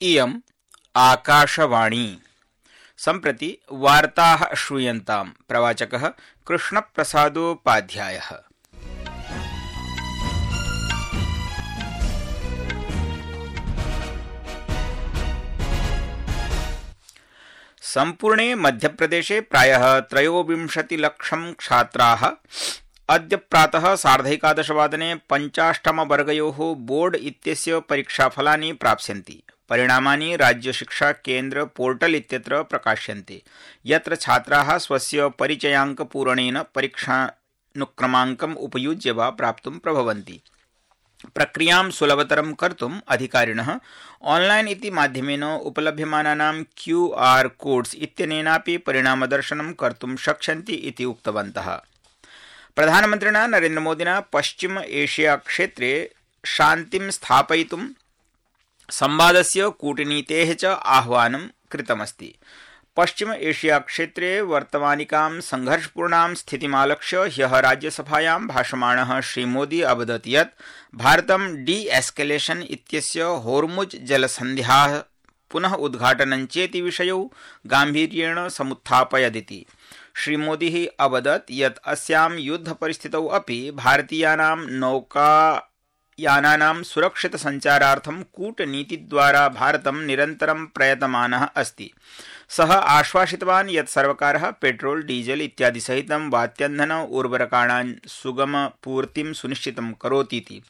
इयम् आकाशवाणी। सम्प्रति वार्ताः श्रूयन्ताम्। प्रवाचकः कृष्णप्रसादोपाध्यायः। सम्पूर्णे मध्यप्रदेशे प्रायः 23 लक्षं छात्राः अद्य प्रातः 11:30 पञ्चाष्टमवर्गयोः बोर्ड इत्यस्य परीक्षाफलानि प्राप्स्यन्ति। परिणामानि राज्यशिक्षा केन्द्र पोर्टल इत्यत्र प्रकाश्यन्ते, यत्र छात्राः स्वस्य परिचयाङ्कपूरणेन परीक्षानुक्रमाङ्कम् उपयुज्य वा प्राप्तुं प्रभवन्ति। प्रक्रियां सुलभतरं कर्तुम् अधिकारिणः ऑनलाइन इति माध्यमेन उपलभ्यमानानां QR कोड्स् इत्यनेनापि परिणामदर्शनं कर्तुं शक्ष्यन्ति इति उक्तवन्तः। प्रधानमन्त्रिणा नरेन्द्रमोदिना पश्चिम एशिया क्षेत्रे शान्तिं स्थापयितुं संवादस्य कूटनीतेः च आह्वानं कृतमस्ति। पश्चिम एशिया क्षेत्रे वर्तमानिकां संघर्षपूर्णां स्थितिमालक्ष्य ह्यः राज्यसभायां भाषमाणः श्रीमोदी अवदत् यत् भारतं डी-एस्केलेशन इत्यस्य होर्मुज् जलसन्ध्याः पुनः उद्घाटनं चेति विषयौ गाम्भीर्येण समुत्थापयदिति। श्रीमोदी अवदत् यत् अस्यां युद्धपरिस्थितौ अपि भारतीयानां नौकायानानां सुरक्षितसञ्चारार्थं कूटनीतिद्वारा भारतं निरन्तरं प्रयतमानः अस्ति। सः आश्वासितवान् यत् सर्वकारः पेट्रोल डीजल इत्यादि सहितं वात्यन्धन उर्वरकाणां सुगमपूर्तिं सुनिश्चितं करोतीति।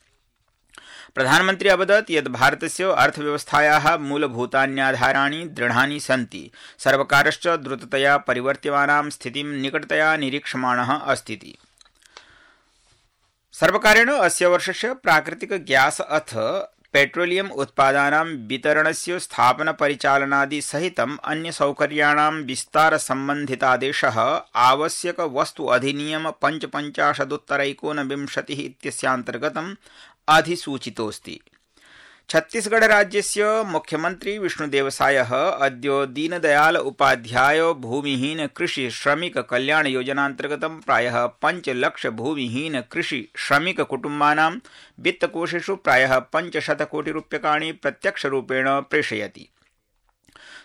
प्रधानमन्त्री अवदत् यत् भारतस्य अर्थव्यवस्थायाः मूलभूतान्याधाराणि दृढानि सन्ति। सर्वकारश्च द्रुततया परिवर्त्यमानां स्थितिं निकटतया निरीक्षमाणः अस्तीति। सर्वकारेण अस्य वर्षस्य प्राकृतिक ग्यास अथ पेट्रोलियम उत्पादानां वितरणस्य स्थापनपरिचालनादि सहितम् अन्यसौकर्याणां विस्तारसम्बन्धितादेशः आवश्यक वस्तु अधिनियम 55-19 इत्यस्यान्तर्गतम् अधिसूचितोऽस्ति। छत्तीसगढ़ राज्यस्य मुख्यमंत्री विष्णुदेवसायः अद्य दीनदयाल उपाध्याय भूमिहीन कृषि श्रमिक कल्याण योजनान्तर्गतं प्रायः 5 लाख भूमिहीन कृषि श्रमिक कुटुम्बानां वित्तकोषेषु प्रायः 500 कोटि रूप्यकाणि प्रत्यक्षरूपेण प्रेषयति।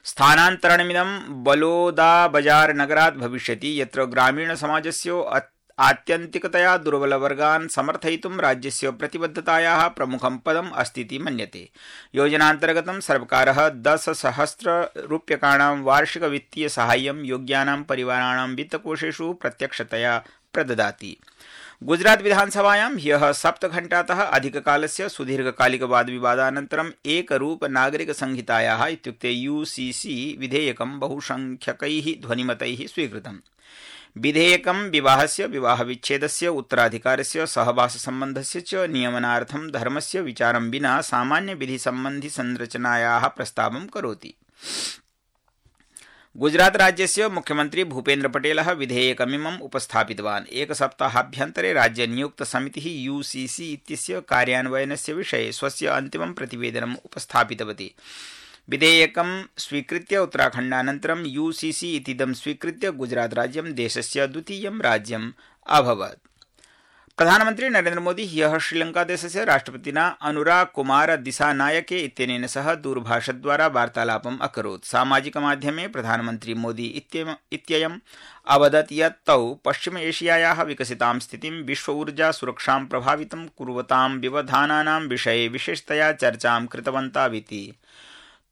स्थानान्तरणमिदं बलोदाबाजार नगरात् भविष्यति, यत्र ग्रामीणसमाजस्य आत्यन्तिकतया दुर्बलवर्गान् समर्थयितुं राज्यस्य प्रतिबद्धतायाः प्रमुखं पदम् अस्तीति मन्यते। योजनान्तर्गतं सर्वकारः 10,000 रूप्यकाणां वार्षिक वित्तीय साहाय्यं योग्यानां परिवाराणां वित्तकोषेषु प्रत्यक्षतया प्रददाति। गुजरात विधानसभायां ह्यः 7 घण्टातः अधिककालस्य सुदीर्घकालिक वादविवादानन्तरम् एकरूप नागरिक संहितायाः इत्युक्ते UCC विधेयकं बहुसंख्यकैः ध्वनिमतैः स्वीकृतम्। विधेयकं विवाहस्य, विवाहविच्छेदस्य, उत्तराधिकारस्य, सहवाससम्बन्धस्य च नियमनार्थं धर्मस्य विचारं विना सामान्य विधि संबंधी संरचनायाः प्रस्तावं करोति। गुजरात राज्यस्य मुख्यमंत्री भूपेन्द्र पटेलः विधेयकमिमम् उपस्थापितवान्। एकसप्ताहाभ्यन्तरे राज्यनियुक्तसमितिः UCC इत्यस्य कार्यान्वयनस्य विषये स्वस्य अन्तिमं प्रतिवेदनम् उपस्थापितवती। विधेयकं स्वीकृत्य उत्तराखण्डानन्तरं UCC इतीदं स्वीकृत्य गुजरात राज्यं देशस्य द्वितीयं राज्यम् अभवत्। प्रधानमन्त्री नरेन्द्र मोदी ह्यः श्रीलङ्कादेशस्य राष्ट्रपतिना अनुरा कुमार दिसानायके इत्यनेन सह दूरभाषद्वारा वार्तालापम् अकरोत्। सामाजिकमाध्यमे प्रधानमन्त्री मोदी इत्ययम् अवदत् यत् तौ पश्चिम एशियायाः विकसितां स्थितिं, विश्व ऊर्जा सुरक्षां प्रभावितं कुर्वतां व्यवधानानां विषये विशेषतया चर्चां कृतवन्ताविति।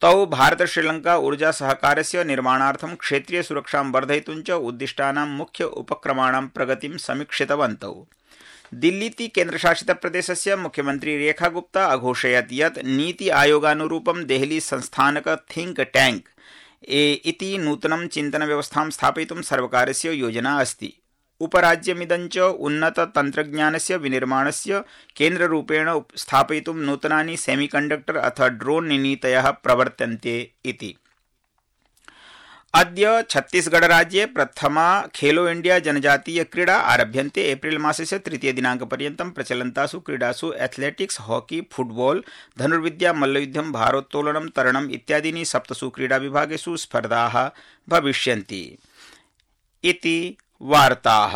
तौ भारत श्रीलंका ऊर्जा सहकारस्य निर्माणार्थं क्षेत्रीय सुरक्षां वर्धयितुं च उद्दिष्टानां मुख्य उपक्रमाणां प्रगतिं समीक्षितवन्तौ। दिल्लीति केन्द्रशासितप्रदेशस्य मुख्यमंत्री रेखा गुप्ता अघोषयत् यत् नीति आयोगानुरूपं देहली संस्थानक थिंक टैंक इति नूतनं चिन्तनव्यवस्थां स्थापयितुं सर्वकारस्य योजना अस्ति। उपराज्यमिदं च उन्नत तन्त्रज्ञानस्य विनिर्माणस्य केन्द्ररूपेण स्थापयितुं नूतनानि सेमीकण्डक्टर अथ ड्रोन नीतयः प्रवर्तन्ते इति। अद्य छत्तीसगढ़ राज्ये प्रथमा खेलो इंडिया जनजातीय क्रीडा आरभ्यन्ते। एप्रिल मासस्य 3 दिनाङ्कपर्यन्तं प्रचलन्तासु क्रीडासु एथलेटिक्स, हॉकी, फुटबॉल, धनुर्विद्या, मल्लयुद्धं, भारोत्तोलनं, तरणम् इत्यादीनि 7 क्रीडाविभागेषु स्पर्धाः भविष्यन्ति इति वार्ताः।